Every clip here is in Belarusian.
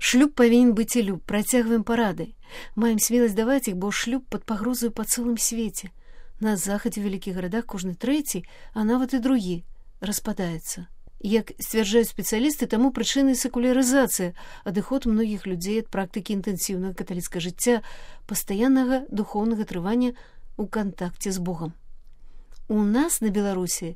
Шлюб павінен быць і люб. Працягваем парады. Маем смеласць даваць іх, бо шлюб пад пагрозаю па цэлым свеце. На захадзе ў вялікіх гарадах кожны трэці, а нават і другі, распадаецца. Як сцвярджаюць спецыялісты, таму прычынай секулярызацыя, адыход многіх людзей ад практыкі інтэнсіўнага каталіцкага жыцця, пастаяннага духоўнага трывання ў кантакце з Богам. У нас на Беларусі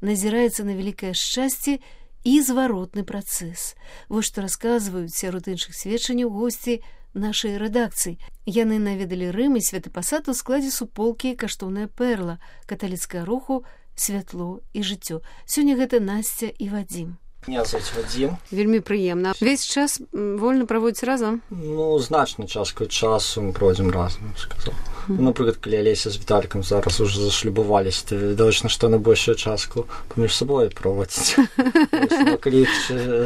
назіраецца на вялікае шчасце і зваротны працэс. Вось што расказваюць сярод іншых сведчанняў госці нашай рэдакцыі. Яны наведалі Рым і Святы Пасад у складзе суполкі «Каштоўная перла» каталіцкага руху «Святло і жыццё». Сёння гэта Насця і Вадзім. Меня зовут Вадим. Вельмі прыемна. Весь час вольна праводзіць разам? Ну, значную частку часу мы проводим разом, я сказал. Например, когда Олеся с Виталиком зараз уже зашлюбовались, то видно, что на большую частку поміж собой проводить. Но когда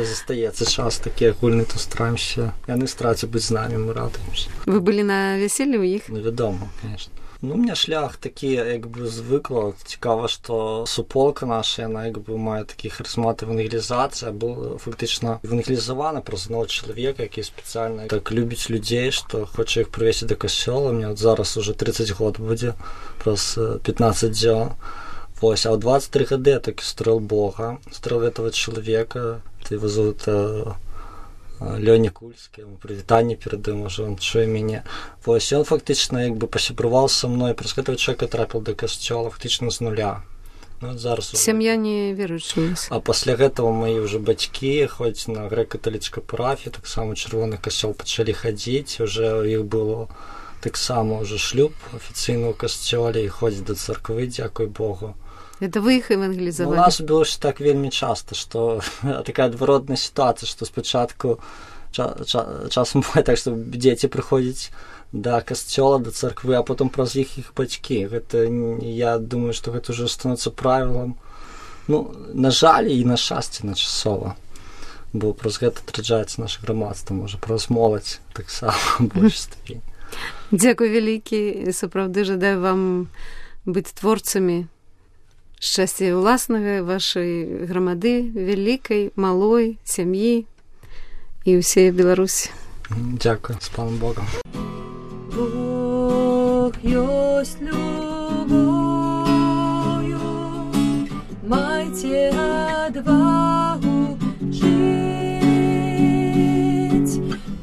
застаецца час такі агульны, то стараемся. Яны стараюцца быць з намі, мы радуемся. Вы былі на вяселлі ў іх? Ну, вядома, конечно. Ну, у меня шлях такі, якби, звикла. Цікаво, що суполка наша, вона, якби, має такі харизмати евангелізації, була фактично евангелізована про одного чоловіка, який спеціально так любить людей, що хоче їх привести до костела. У мене от зараз уже 30 років буде, просто 15 днів. Ось, а в 23 года я таки строил Бога, строил этого человека, его зовут Лёня Кульский, ему привітання передаем, уже он чує меня. Ось, он фактично якби посябрував со мною, просто этого человека трапил до костела фактично з нуля. Ну, зараз сям'я не віруюча. А після этого мої вже батьки, хоч на греко-католицькій парафії, так само Червоний костел почали ходити, вже у їх було так само вже шлюб офіційно у костелі, і ходять до церкви, дякую Богу. Это вы их евангелизовали? У нас было так вельми часто, что такая отворотная ситуация, что спочатку часом бывает так, что дети приходят до костела, до церкви, а потом праз їх батьки. Это, я думаю, что это уже становится правилом. Ну, на жаль і на щастя на часово. Бо праз гэта адраджаецца наше грамадства, можа, праз моладзь так само больш ступень. Дзякуй вялікі, сапраўды жадаю вам быць творцамі шчасця ўласнага, вашай грамады, вялікай, малой, сям'і і ўсей Беларусі. Дзякуй, з паном Богом. Бог ёсць любов'ю, майце адвагу жыць.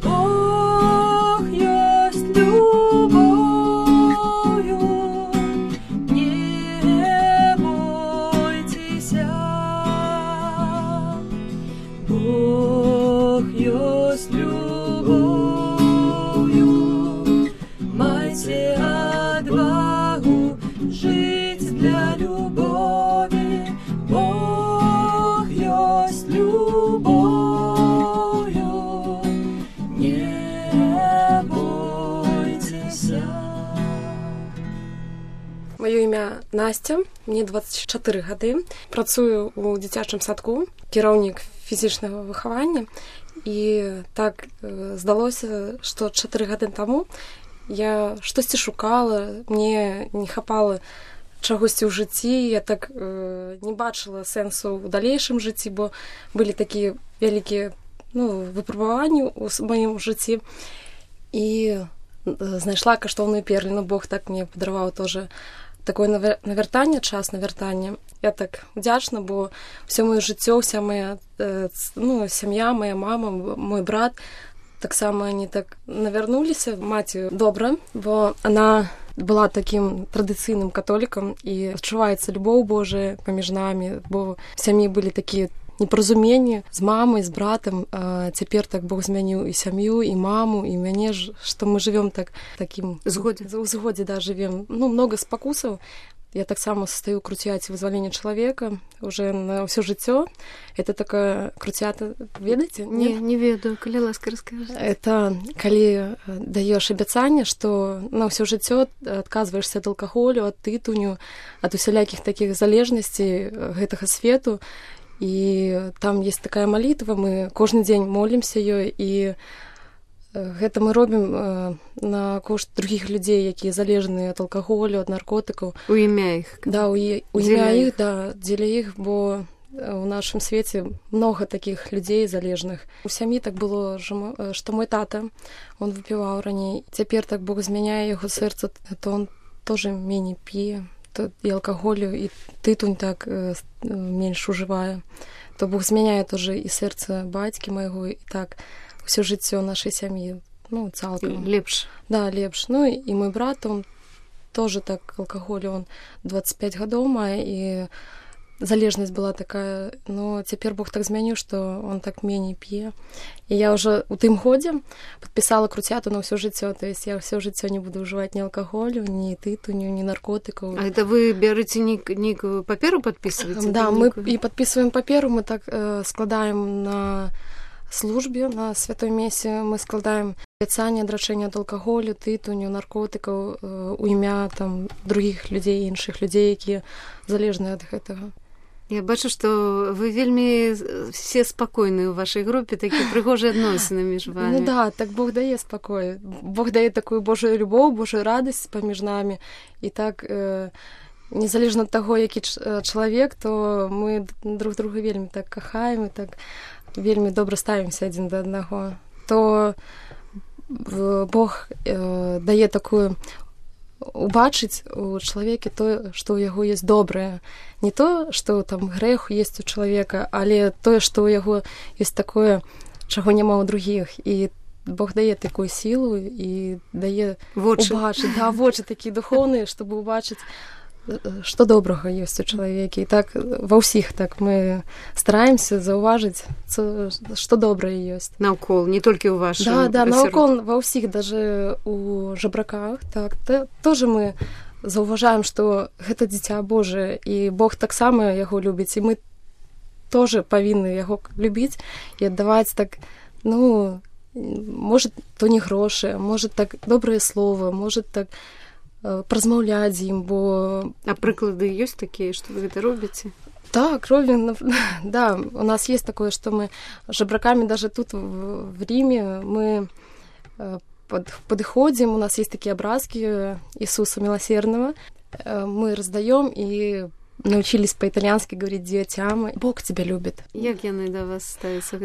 Бог ёсць любов'ю, не бойцеся. Бог ёсць любов'ю, майце адвагу жыць для любові. Бог ёсць любов'ю, не бойцеся. Маё імя Настя, мне 24 гады. Працую ў дзіцячым садку, кіраўнік фізічнага выхавання. І так здалося, што 4 гады таму я штосьці шукала, мне не хапала чагосьці ў жыцці, я так не бачыла сэнсу ў далейшым жыцці, бо былі такія вялікія выпрабаванні ў маім жыцці. І знайшла каштоўную перліну. Бог так мне падараваў тоже такое навяртанне, час навяртання. Я так удзячна, бо ўсё маё жыццё, вся моя сям'я, моя мама, мой брат, таксама они так навярнуліся. Маці добра, бо она была таким традыцыйным католікам, і адчуваецца любоў Божая паміж намі, бо в сям'і былі такія непаразуменні з мамай, з братам. Цяпер так Бог змяніў і сям'ю, і маму, і мяне, што мы жывём такім згодзе, да, жывем. Много спакусаў. Я таксама состою крутяць вызвалення чалавека уже на ўсё жыццё. Это такая крутята, ведаеце? Не ведаю, калі ласка раскажыце. Это калі даеш абяцанне, што на ўсё жыццё адказваешся ад алкаголю, ад тытуню, ад усялякіх такіх залежнасцей гэтага свету. І там есть такая малітва, мы кожны дзень молімся ёй, і гэта мы робім на кошт другіх людзей, якія залежныя ад алкаголю, ад наркотыкаў. У імя іх. Да, у імя іх, да, дзеля іх, бо у нашым свеце многа такіх людзей залежных. У сям'і так было, што мой тата, он выпіваў раней. Цяпер так Бог змяняе яго сэрца, то он тоже меней п'е, то і алкаголю, і тытунь так менш ужывае. То Бог змяняе тоже і сэрца бацькі майго, і так ўсё жыццё нашай сям'і, ну, цалкам. Лепш. Да, лепш. Ну, і мой брат, он тоже так алкаголю, он 25 гадоў мае, і залежнасць была такая, но цяпер Бог так змяніў, што он так меней п'е. І я ўжо у тым годзе падпісала круцяту на ўсё жыццё, то есть я ўсё жыццё не буду ўжываць ні алкаголю, ні тытуню, ні наркотыкаў. А это вы бярыце нейкую паперу падпісваеце? Да, мы і падпісваем паперу, мы так складаем на службе, на святой месе, мы складаем абяцанне адрачэння ад алкаголю, тытуню, наркотыкаў у імя там другіх людзей, іншых людзей, якія залежныя ад гэтага. Я бачу, што вы вельмі все спакойныя ў вашай групе, такі прыгожыя адносіны між вами. Ну да, так Бог дае спакой. Бог дае такую Божую любоў, Божую радасць паміж намі. І так, незалежна ад таго, які чалавек, то мы друг друга вельмі так кахаем і так вельмі добра ставімся адзін да аднаго. То Бог дае такую убачыць у чалавеке тое, што ў яго ёсць добрае. Не то, што там грэх ёсць у чалавека, але тое, што ў яго ёсць такое, чаго няма ў другіх. І Бог дае такую сілу і дае убачыць. Да, вочы такія духоўныя, щоб убачыць, што добрага ёсць у чалавеке. І так ва ўсіх так мы стараемся заўважыць, што добрае ёсць. Наўкол, не толькі ў вашым. Да, наўкол ва ўсіх, даже у жабраках, так, тоже мы заўважаем, што гэта дзіця Божае, і Бог таксама яго любіць, і мы тоже павінны яго любіць і аддаваць так, ну, можа, то не грошы, можа, так добрае слова, можа, так празмаўляць з ім, бо... А прыклады ёсць такія, што вы гэта робіце? Так, робім. Да, у нас есть такое, что мы жабраками даже тут в Риме мы подходим, у нас есть такие образки Иисуса Милосердного, мы раздаем и научились по-итальянски говорить детям. Бог тебя любит. Як яны да вас ставяцца?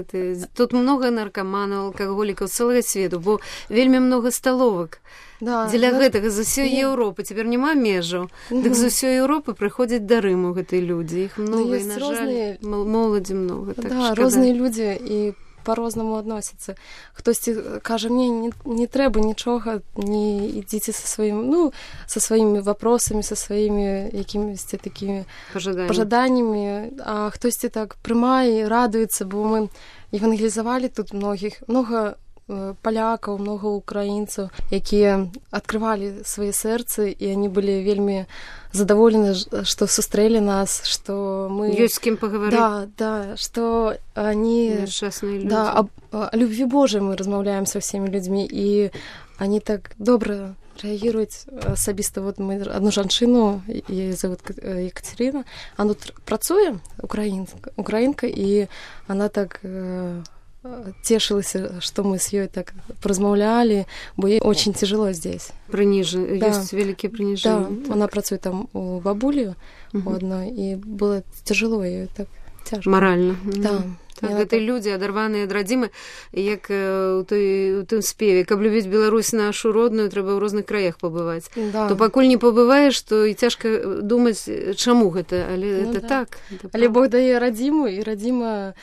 Тут много наркоманаў, алкаголікаў, цэлага свету, бо вельмі много сталовак. Да, дзеля гэтага з усёй Еўропы цяпер няма межаў. Дык з усёй Еўропы прыходзяць да Рыму гэтыя людзі. Іх много, і, на жаль, моладзі много. Так, да, розныя людзі і по-рознаму адносяцца. Хтосьці кажа, мне не трэба нічога, не ідзіце са сваім, ну, са сваімі вопросамі, са сваімі якімісьці такімі пажаданнямі, а хтосьці так прымае, радуецца, бо мы евангелізавалі тут много палякаў, много украінцаў, якія адкрывалі свае сэрцы, і они былі вельмі задаволены, што сустрэлі нас, што мы... Ёсць з кім пагаварыць. Да, што они... Нешчасныя людзі. Да, о любви Божией мы размаўляем со всеми людьми, и они так добра реагируют асабіста. Вот мы одну жанчыну, ее зовут Екатерина, она працуе, украинка, и она так... тешилась, что мы с ёй так поразмаўлялі, бо ей очень тяжело здесь. Прыніжэнне, да. Ёсць вялікія прыніжэнні. Да, так. Она працуе там у бабулі у одной, і было тяжело ёй, так цяжка. Маральна. Да. Так, гэта людзі, адарваныя ад радзімы, як у тым спеве, каб любіць Беларусь нашу родную, трэба ў розных краях пабываць. Да. То пакуль не пабываеш, то і цяжка думаць, чаму гэта, але это да. так. Але Бог дае радзіму, і радзіма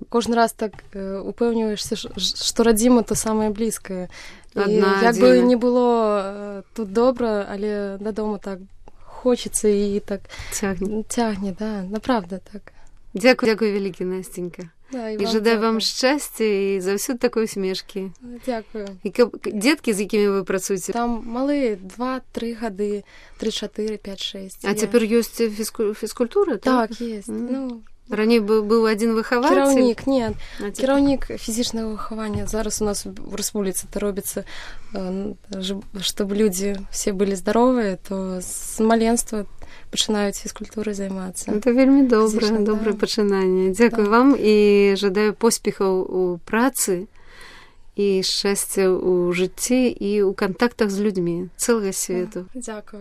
кожны раз так упэўніваешся, што радзіма то самае блізкае. Як бы не было тут добра, але дадому так хочацца і так цягне, да, направда так. Дзякуй вялікі, Насценька. Да, і жадаю вам шчасця і заўсёды такой усмешкі. Дзякую. І дзеткі, з якімі вы працуеце? Там малыя 2-3 гады, 3-4, 5-6. А цяпер ёсць фізкультура? Так, ёсць. Ну, раней быў адзін выхавацель? Кіраўнік, не. Кіраўнік фізічнага выхавання. Зараз у нас в рэспубліцы это робіцца, чтобы людзі все былі здаровыя, то з маленства пачынаюць фізкультурай займацца. Это вельмі добрае пачынанне. Дзякуй вам і жадаю поспехаў у працы і шчасця ў жыцці і ў кантактах з людзьмі цэлага свету. Дзякуй.